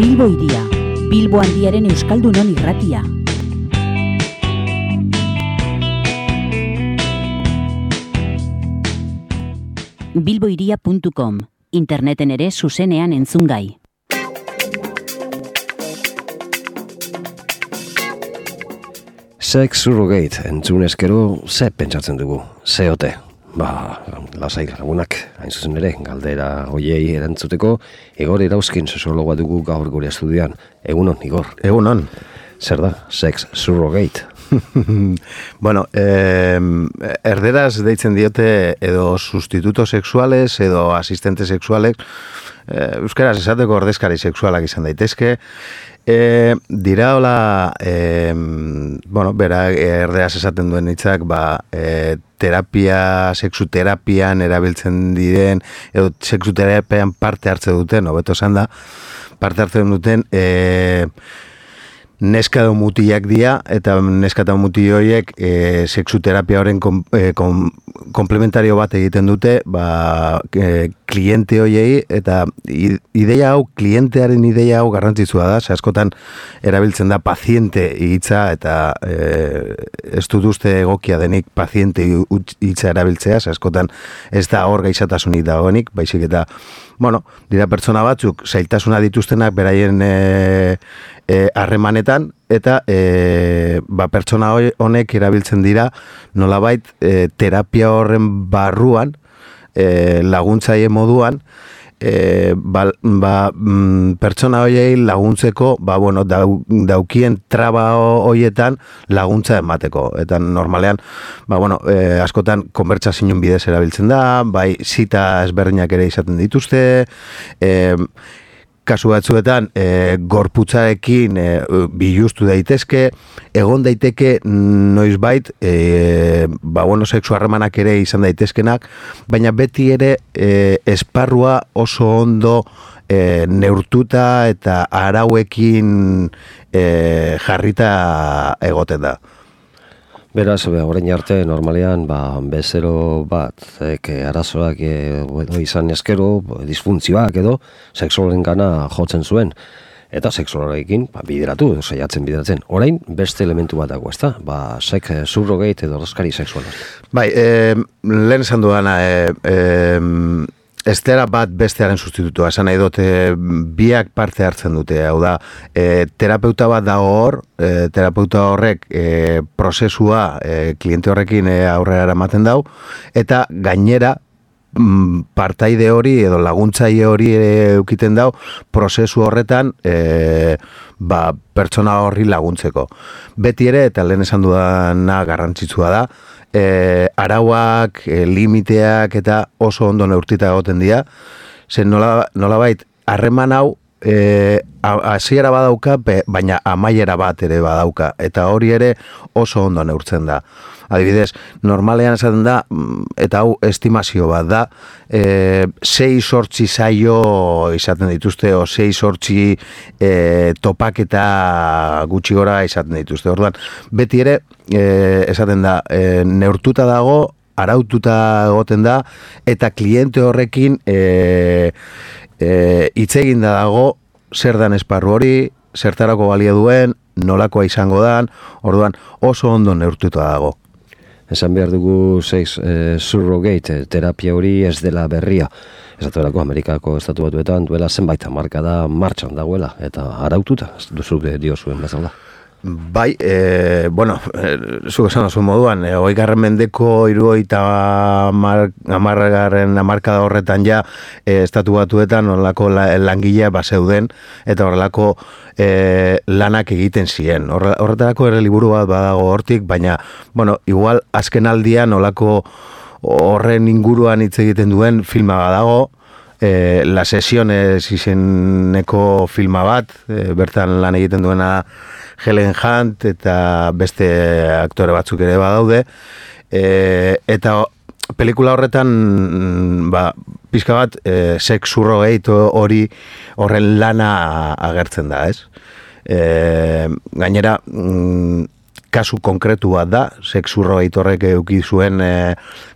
Bilbo Hiria, Bilbo Handiaren Euskaldunon irratia. bilbohiria.com, interneten ere zuzenean entzungai. Sex Surrogate entzun eskero ze pentsatzen dugu, ze ote. Lasai lagunak, hain zuzen ere, galdera hoiei erantzuteko, Igor Irauzkin sexologoa dugu gaur gure estudioan. Egunon, Igor. Egunon. Zer da, Sex Surrogate? Bueno, erderaz deitzen diote edo sustituto sexuales edo asistente sexuales, euskaraz esateko ordezkari sexualak izan daitezke, dira hola, bera erderaz esaten duen hitzak, terapia, sexuterapian erabiltzen diren, edo sexuterapian parte hartze duten, hobeto esan da, parte hartzen duten, neska edo mutilak dira, eta neska eta mutil horiek sexuterapia horren komplementario bat egiten dute, kliente horiei, eta klientearen ideia hau garrantzitsua da, askotan erabiltzen da paziente hitza, eta ez dut uste egokia denik paziente hitza erabiltzea, askotan ez da hor gaixotasunik dagoenik, baizik eta, dira pertsona batzuk, zailtasuna dituztenak beraien harremanetan, eta pertsona honek erabiltzen dira nolabait terapia horren barruan, laguntzaile moduan, pertsona horiei laguntzeko, daukien traba horietan laguntza emateko. Eta normalean, askotan konbertsazioen bidez erabiltzen da, zita ezberdinak ere izaten dituzte, kasu batzuetan gorputzarekin biluztu daitezke, egon daiteke noizbait sexu harremanak ere izan daitezkenak, baina beti ere esparrua oso ondo neurtuta eta arauekin jarrita egoten da. Beraz, orain arte, normalean, bezero bat, arazoak izan eskero, disfuntzioak edo, sexualen gana jotzen zuen. Eta sexualekin bideratu, saiatzen bideratzen. Orain, beste elementu bat dago, ezta? Sex surrogate edo ordezkari sexuala. Lehen esan duana, estera bat bestearen sustitutua, esan nahi dut, biak parte hartzen dute, hau da, terapeuta bat dago hor, terapeuta horrek prozesua kliente horrekin aurrera eramaten dau, eta gainera, partaide hori edo laguntzaile hori eukiten dau, prozesu horretan pertsona horri laguntzeko. Beti ere, eta lehen esan dudana garrantzitsua da, arauak, limiteak eta oso ondo neurtita egoten dira, zen nolabait harreman hau hasiera badauka, baina amaiera bat ere badauka, eta hori ere oso ondo neurtzen da. Adibidez, normalean esaten da, eta hau estimazio bat da, 6-8 saio izaten dituzte, o 6-8 topaketa gutxi gora izaten dituzte. Orduan, beti ere, esaten da, neurtuta dago, araututa egoten da, eta kliente horrekin hitz egin da dago, zer dan esparru hori, zertarako balia duen, nolakoa izango dan, orduan oso ondo neurtuta dago. Esan behar dugu sex surrogate terapia hori ez dela berria. Esatuelako Amerikako estatu batuetan duela zenbait hamarkada martxan dagoela, eta araututa, duzu diozuen bezala. Zuk esan oso moduan, 20. mendeko 70. hamarkada horretan ja estatu batuetan horrelako langilea zeuden eta horrelako lanak egiten ziren. Horretarako ere liburu bat badago hortik, baina, igual azken aldian horrelako horren inguruan hitz egiten duen filma badago, La Sesiones izeneko filma bat, bertan lan egiten duena Helen Hunt eta beste aktore batzuk ere badaude, eta pelikula horretan pixka bat sex surrogate horren lana agertzen da, ez? Gainera, kasu konkretu bat da, sex surrogate horrek eduki zuen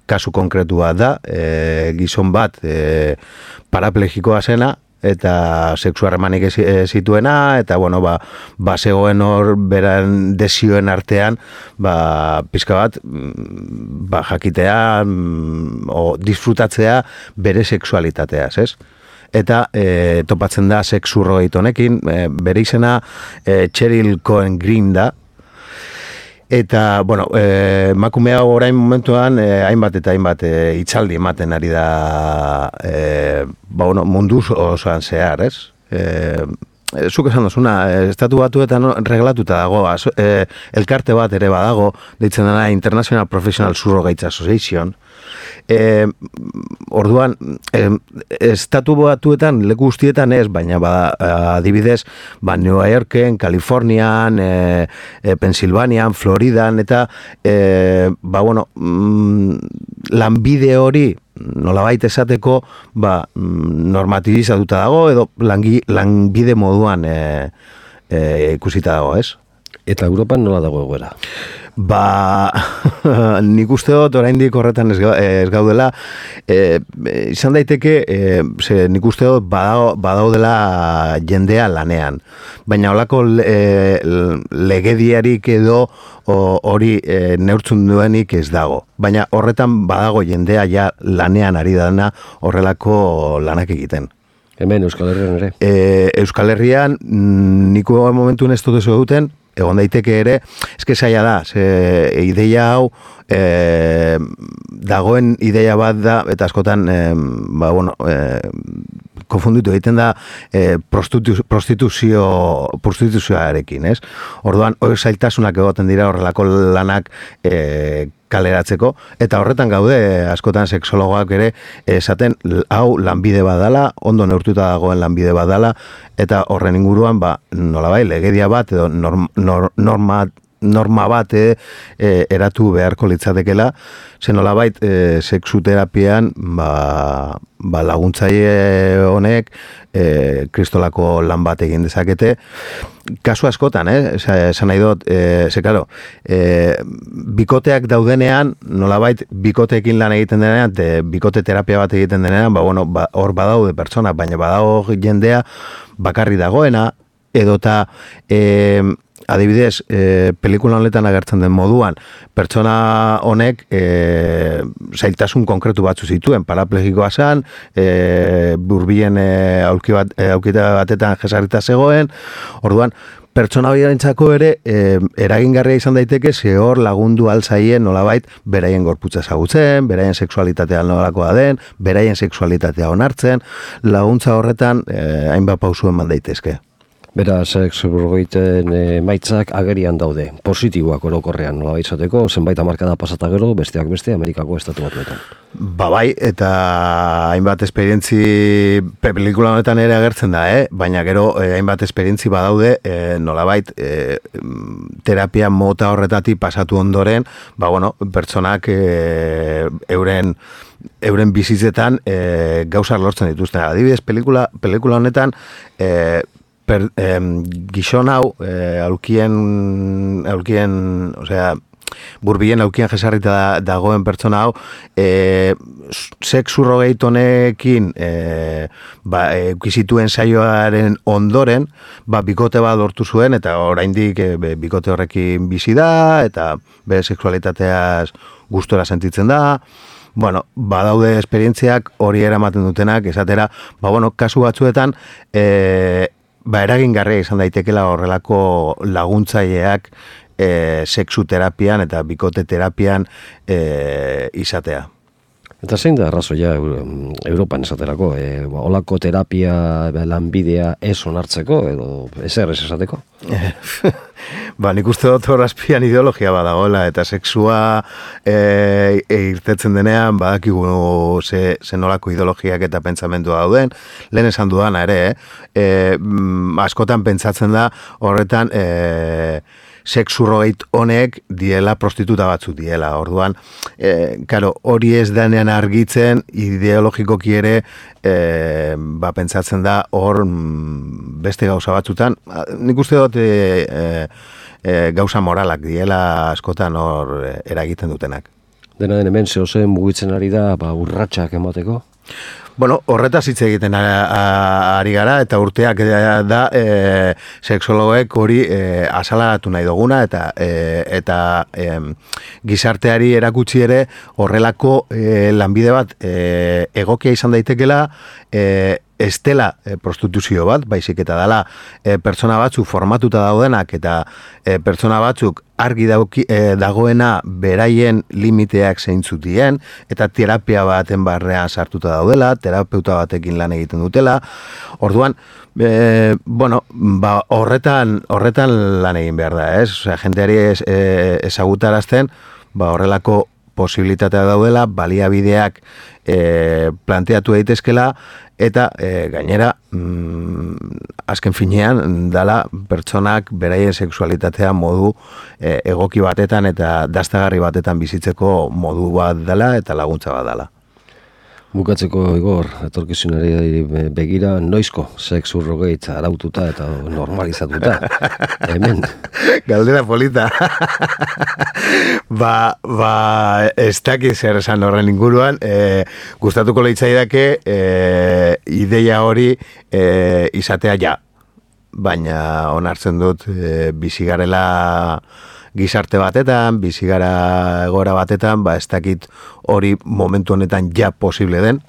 kasu konkretu bat da, gizon bat paraplegikoa zena, eta sexu harremanik zituena, eta bueno, zegoen hor beran desioen artean, pizka bat, jakitea, o disfrutatzea bere sexualitateaz, ez? Eta topatzen da sexurroit honekin, bere izena Cheryl Cohen Green da, eta, bueno, emakumea orain momentuan hainbat eta hainbat hitzaldi ematen ari da munduz osoan zehar, ez? Zuk esan dozuna, estatu batuetan reglatuta dago, elkarte bat ere badago, deitzen dena International Professional Surrogates Association. Orduan, estatu batuetan, leku guztietan ez, baina adibidez, New Yorken, Kalifornian, Pensilvanian, Floridan, eta lanbide hori nolabait esateko normatibizatuta dago edo lanbide moduan ikusita dago, ez? Eta Europan nola dago egoera? Nik uste dut oraindik horretan ez gaudela, izan daiteke, nik uste dut badaudela jendea lanean, baina holako legediarik edo hori neurtzen duenik ez dago, baina horretan badago jendea ja lanean ari dana horrelako lanak egiten. Hemen Euskal Herrian ere? Euskal Herrian niko momentun ez dut ez duten, egon daiteke ere, eske zaila da, ideia hau dagoen ideia bat da, eta askotan konfunditu egiten da prostituzioarekin, ez? Orduan, hori zailtasunak egoten dira horrelako lanak kaleratzeko, eta horretan gaude askotan sexologoak ere esaten hau lanbide badala, ondo neurtuta dagoen lanbide badala, eta horren inguruan nolabai legedia bat edo norma bat eratu beharko litzatekela, zen nolabait sexuterapian laguntzaile honek kristolako lan bat egin dezakete. Kasu askotan, esan nahi dut, bikoteak daudenean, nolabait bikoteekin lan egiten denean, bikote terapia bat egiten denean, hor badaude pertsona, baina badago jendea bakarri dagoena, edota adibidez, pelikula honetan agertzen den moduan, pertsona honek zailtasun konkretu batzu zituen, paraplegikoa zen, burbilen aukita batetan jesarrita zegoen, orduan, pertsona horientzako ere eragingarria izan daiteke ze hor lagundu alzaien nolabait beraien gorputza ezagutzen, beraien sexualitatea nolakoa den, beraien sexualitatea onartzen, laguntza horretan hainbat pausu eman daitezke. Beraz, sexurrogoiten emaitzak agerian daude, positiboak orokorrean, nola izateko, zenbait hamarkada pasata gero, besteak beste, Amerikako estatu batuetan. Bai, eta hainbat esperientzi pelikula honetan ere agertzen da, baina gero hainbat esperientzi badaude, nolabait terapia mota horretatik pasatu ondoren, pertsonak euren bizitzetan gauzak lortzen dituzten. Adibidez, pelikula honetan gizon hau burbilen aulkien jesarrita dagoen pertsona hau sexurrogeit honekin eukizituen saioaren ondoren bikote bat lortu zuen eta oraindik bikote horrekin bizi da eta bere sexualitateaz gustora sentitzen da. Badaude esperientziak hori eramaten dutenak, esatera, kasu batzuetan eragingarria izan daitekela horrelako laguntzaileak sexuterapian eta bikote terapian izatea. Eta zein da arrazoia Europan esaterako? Olako terapia lanbidea ez onartzeko edo ezer ez esateko? Nik uste dut horazpian ideologia badagoela eta sexua irtetzen denean badakigu ze nolako ideologiak eta pentsamentua dauden. Lehen esan dudana ere, askotan pentsatzen da horretan sexurrogeit honek diela prostituta batzuk diela. Orduan, hori ez denean argitzen ideologikoki ere pentsatzen da hor beste gauza batzutan. Nik uste dut gauza moralak diela askotan hor eragiten dutenak. Dena den hemen zehozen mugitzen ari da urratsak emateko? Bueno, horretaz hitz egiten ari gara, eta urteak da sexologoek hori azalaratu nahi duguna, eta gizarteari erakutsi ere horrelako lanbide bat egokia izan daitekela, ez dela prostituzio bat, baizik eta dela pertsona batzuk formatuta daudenak eta pertsona batzuk argi dagoena beraien limiteak zeintzutien eta terapia baten barrean sartuta daudela, terapeuta batekin lan egiten dutela. Orduan, horretan lan egin behar da, ez? Osea, jendeari ezagutarazten, horrelako posibilitatea daudela, baliabideak planteatu daitezkela, eta gainera azken finean dala pertsonak beraien sexualitatea modu egoki batetan eta dastagarri batetan bizitzeko modu bat dela eta laguntza bat dela. Bukatzeko, Igor, etorkizunari begira, noizko sexu rogeit araututa eta normalizatuta. Hemen. Galdera polita. Ez dakiz zer esan horren inguruan, gustatuko leitzaidake ideia hori izatea ja. Baina onartzen dut bizigarela gizarte batetan, bizigara egora batetan, ez dakit hori momentu honetan ja posible den.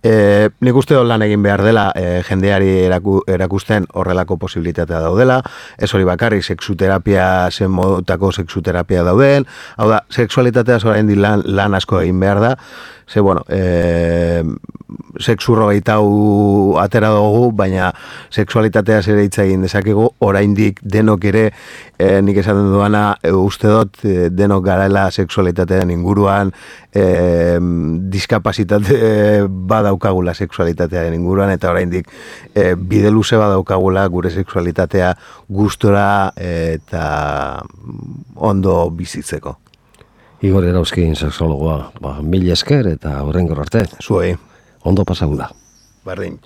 Nik uste dut lan egin behar dela jendeari erakusten horrelako posibilitatea daudela, ez hori bakarrik sexuterapia, zen modutako sexuterapia dauden, hau da, sexualitatea oraindik lan asko egin behar da, ze, bueno, sexu rogeitau atera dugu, baina sexualitatea ere hitz egin dezakegu, oraindik denok ere, nik esaten duana, uste dut denok garela sexualitatean inguruan, diskapazitate badaukagula sexualitatearen inguruan, eta oraindik bide luze badaukagula gure sexualitatea gustora eta ondo bizitzeko. Igor Erauzkin sexologoa, mila esker eta horrengor arte. Zuei. Ondo pasagu da. Berdin.